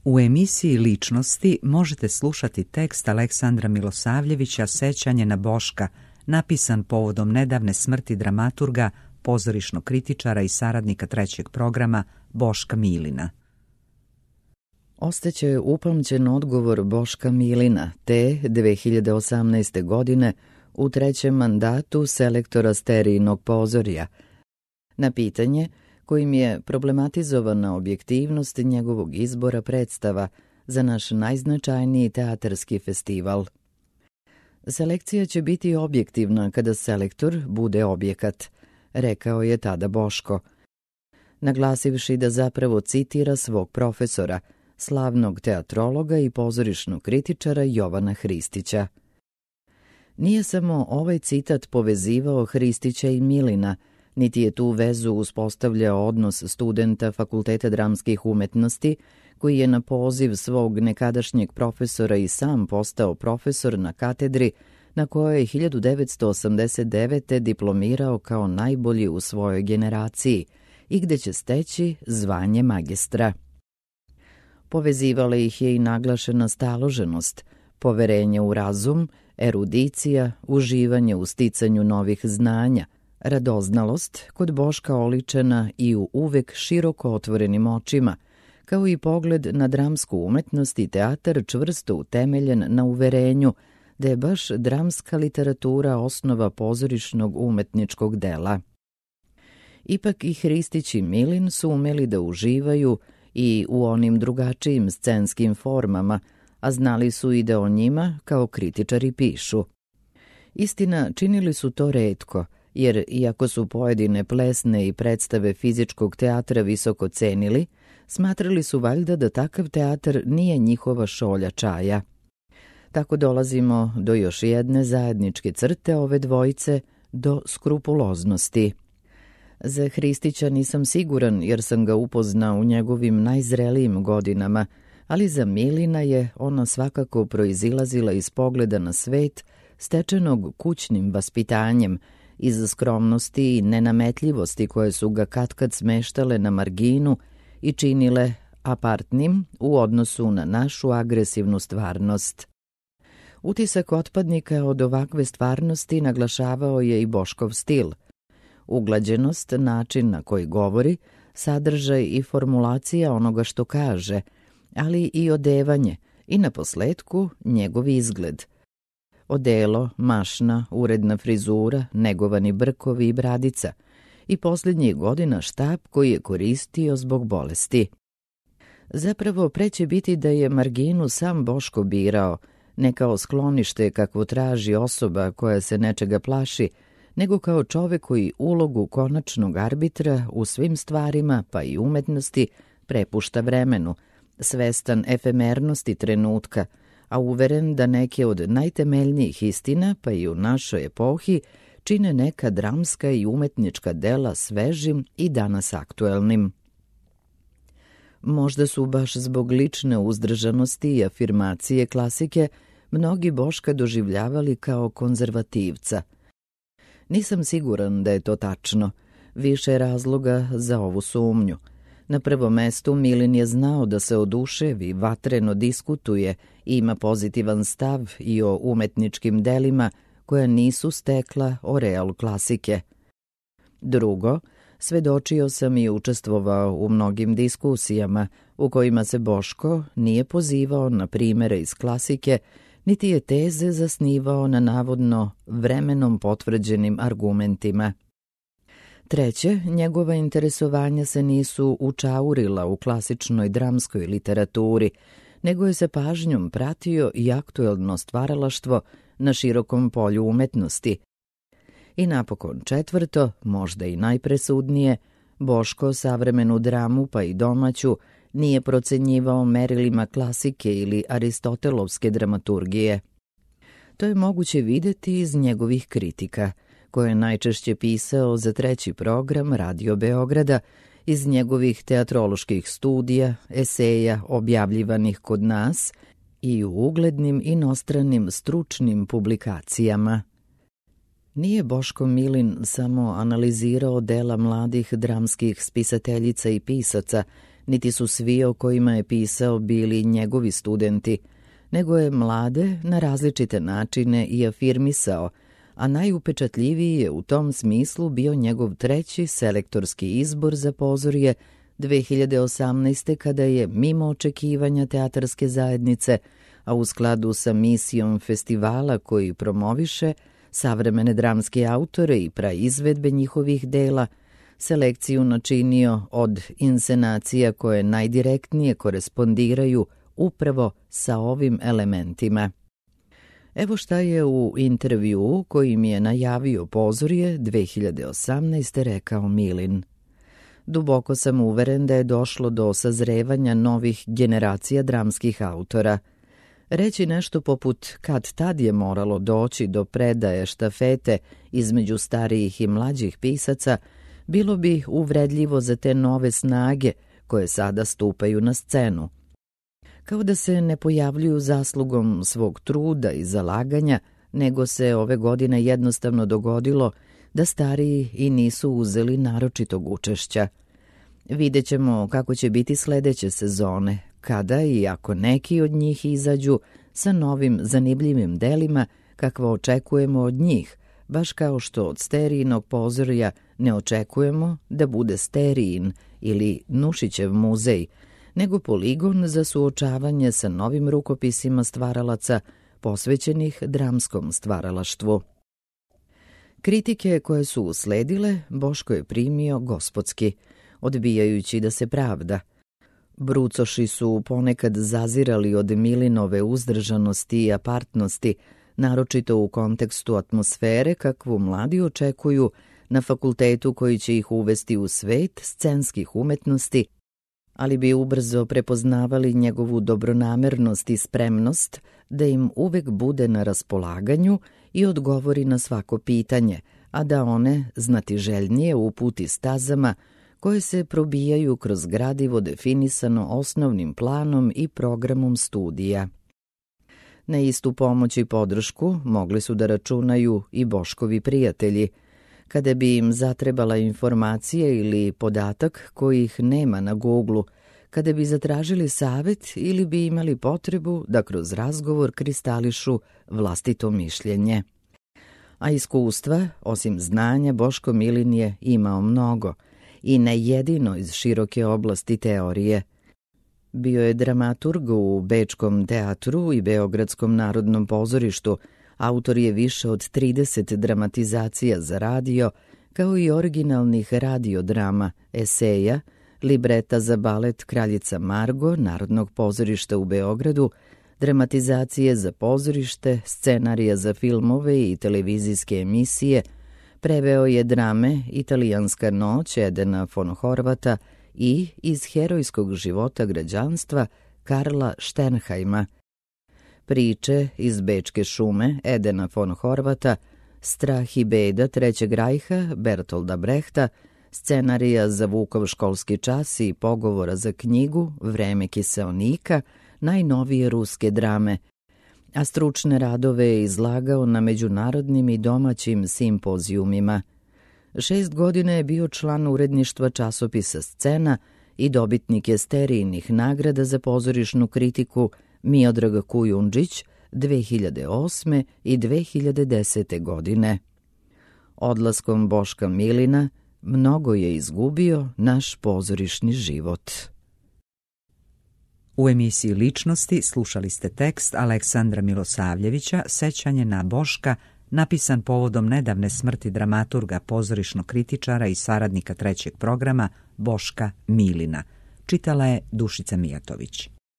U emisiji Ličnosti možete slušati tekst Aleksandra Milosavljevića Sećanje na Boška, napisan povodom nedavne smrti dramaturga, pozorišnog kritičara i saradnika trećeg programa Boška Milina. Ostaće upamćen odgovor Boška Milina te 2018. godine u trećem mandatu selektora Sterijinog pozorja na pitanje kojim je problematizovana objektivnost njegovog izbora predstava za naš najznačajniji teatarski festival. Selekcija će biti objektivna kada selektor bude objekat, rekao je tada Boško, naglasivši da zapravo citira svog profesora, slavnog teatrologa i pozorišnog kritičara Jovana Hristića. Nije samo ovaj citat povezivao Hristića i Milina, niti je tu vezu uspostavljao odnos studenta Fakulteta dramskih umetnosti, koji je na poziv svog nekadašnjeg profesora i sam postao profesor na katedri na kojoj je 1989. diplomirao kao najbolji u svojoj generaciji i gde će steći zvanje magistra. Povezivala ih je i naglašena staloženost, poverenje u razum, erudicija, uživanje u sticanju novih znanja, radoznalost kod Boška oličena i u uvek široko otvorenim očima, kao i pogled na dramsku umetnost i teatar čvrsto utemeljen na uverenju da je baš dramska literatura osnova pozorišnog umetničkog dela. Ipak i Hristić i Milin su umeli da uživaju i u onim drugačijim scenskim formama, a znali su i da o njima kao kritičari pišu. Istina, činili su to retko, jer iako su pojedine plesne i predstave fizičkog teatra visoko cenili, smatrali su valjda da takav teatar nije njihova šolja čaja. Tako dolazimo do još jedne zajedničke crte ove dvojice, do skrupuloznosti. Za Hristića nisam siguran jer sam ga upoznao u njegovim najzrelijim godinama, ali za Milina je ona svakako proizilazila iz pogleda na svet stečenog kućnim vaspitanjem, iz skromnosti i nenametljivosti koje su ga katkad smeštale na marginu i činile apartnim u odnosu na našu agresivnu stvarnost. Utisak otpadnika od ovakve stvarnosti naglašavao je i Boškov stil. Uglađenost, način na koji govori, sadržaj i formulacija onoga što kaže, ali i odevanje i naposletku njegov izgled. Odelo, mašna, uredna frizura, negovani brkovi i bradica i posljednjih godina štap koji je koristio zbog bolesti. Zapravo preće biti da je marginu sam Boško birao, ne kao sklonište kakvo traži osoba koja se nečega plaši, nego kao čovek koji ulogu konačnog arbitra u svim stvarima, pa i umetnosti, prepušta vremenu, svestan efemernosti trenutka, a uveren da neke od najtemeljnijih istina, pa i u našoj epohi, čine neka dramska i umetnička dela svežim i danas aktuelnim. Možda su baš zbog lične uzdržanosti i afirmacije klasike mnogi Boška doživljavali kao konzervativca. Nisam siguran da je to tačno, više razloga za ovu sumnju. Na prvom mestu Milin je znao da se oduševi, vatreno diskutuje i ima pozitivan stav i o umetničkim delima koja nisu stekla oreal klasike. Drugo, svedočio sam i učestvovao u mnogim diskusijama u kojima se Boško nije pozivao na primere iz klasike, niti je teze zasnivao na navodno vremenom potvrđenim argumentima. Treće, njegova interesovanja se nisu učaurila u klasičnoj dramskoj literaturi, nego je sa pažnjom pratio i aktuelno stvaralaštvo na širokom polju umetnosti. I napokon četvrto, možda i najpresudnije, Boško savremenu dramu pa i domaću nije procenjivao merilima klasike ili aristotelovske dramaturgije. To je moguće videti iz njegovih kritika, koje je najčešće pisao za treći program Radio Beograda, iz njegovih teatroloških studija, eseja objavljivanih kod nas i u uglednim inostranim stručnim publikacijama. Nije Boško Milin samo analizirao dela mladih dramskih spisateljica i pisaca, niti su svi o kojima je pisao bili njegovi studenti, nego je mlade na različite načine i afirmisao, a najupečatljiviji je u tom smislu bio njegov treći selektorski izbor za pozorje 2018. kada je, mimo očekivanja teatarske zajednice, a u skladu sa misijom festivala koji promoviše savremene dramske autore i praizvedbe njihovih dela, selekciju načinio od inscenacija koje najdirektnije korespondiraju upravo sa ovim elementima. Evo šta je u intervjuu kojim je najavio pozorje 2018. rekao Milin. Duboko sam uveren da je došlo do sazrevanja novih generacija dramskih autora. Reći nešto poput kad tad je moralo doći do predaje štafete između starijih i mlađih pisaca bilo bi uvredljivo za te nove snage koje sada stupaju na scenu. Kao da se ne pojavljuju zaslugom svog truda i zalaganja, nego se ove godine jednostavno dogodilo da stariji i nisu uzeli naročitog učešća. Vidjet ćemo kako će biti sledeće sezone, kada i ako neki od njih izađu sa novim zanimljivim delima kakva očekujemo od njih, baš kao što od Sterijinog pozorja ne očekujemo da bude Sterijin ili Nušićev muzej, nego poligon za suočavanje sa novim rukopisima stvaralaca posvećenih dramskom stvaralaštvu. Kritike koje su usledile Boško je primio gospodski, odbijajući da se pravda. Brucoši su ponekad zazirali od Milinove uzdržanosti i apartnosti, naročito u kontekstu atmosfere kakvu mladi očekuju na fakultetu koji će ih uvesti u svet scenskih umetnosti, ali bi ubrzo prepoznavali njegovu dobronamernost i spremnost da im uvek bude na raspolaganju i odgovori na svako pitanje, a da one znatiželjnije uputi stazama koje se probijaju kroz gradivo definisano osnovnim planom i programom studija. Na istu pomoć i podršku mogli su da računaju i Boškovi prijatelji. Kada bi im zatrebala informacija ili podatak kojih nema na Googlu, kada bi zatražili savet ili bi imali potrebu da kroz razgovor kristališu vlastito mišljenje. A iskustva, osim znanja, Boško Milin je imao mnogo i ne jedino iz široke oblasti teorije. Bio je dramaturg u Bečkom teatru i Beogradskom narodnom pozorištu, autor je više od 30 dramatizacija za radio, kao i originalnih radiodrama, eseja, libreta za balet Kraljica Margo Narodnog pozorišta u Beogradu, dramatizacije za pozorište, scenarija za filmove i televizijske emisije, preveo je drame Italijanska noć Edena von Horvata i Iz herojskog života građanstva Karla Sternheima, priče Iz Bečke šume Edena von Horvata, Strah i beda Trećeg rajha Bertolda Brehta, scenarija za Vukov školski čas i pogovora za knjigu Vreme kiseonika, najnovije ruske drame, a stručne radove je izlagao na međunarodnim i domaćim simpozijumima. 6 godina je bio član uredništva časopisa Scena i dobitnik je Sterijinih nagrada za pozorišnu kritiku Miodrag Kujundžić 2008. i 2010. godine. Odlaskom Boška Milina mnogo je izgubio naš pozorišni život. U emisiji Ličnosti slušali ste tekst Aleksandra Milosavljevića Sećanje na Boška, napisan povodom nedavne smrti dramaturga, pozorišnog kritičara i saradnika trećeg programa Boška Milina. Čitala je Dušica Mijatović.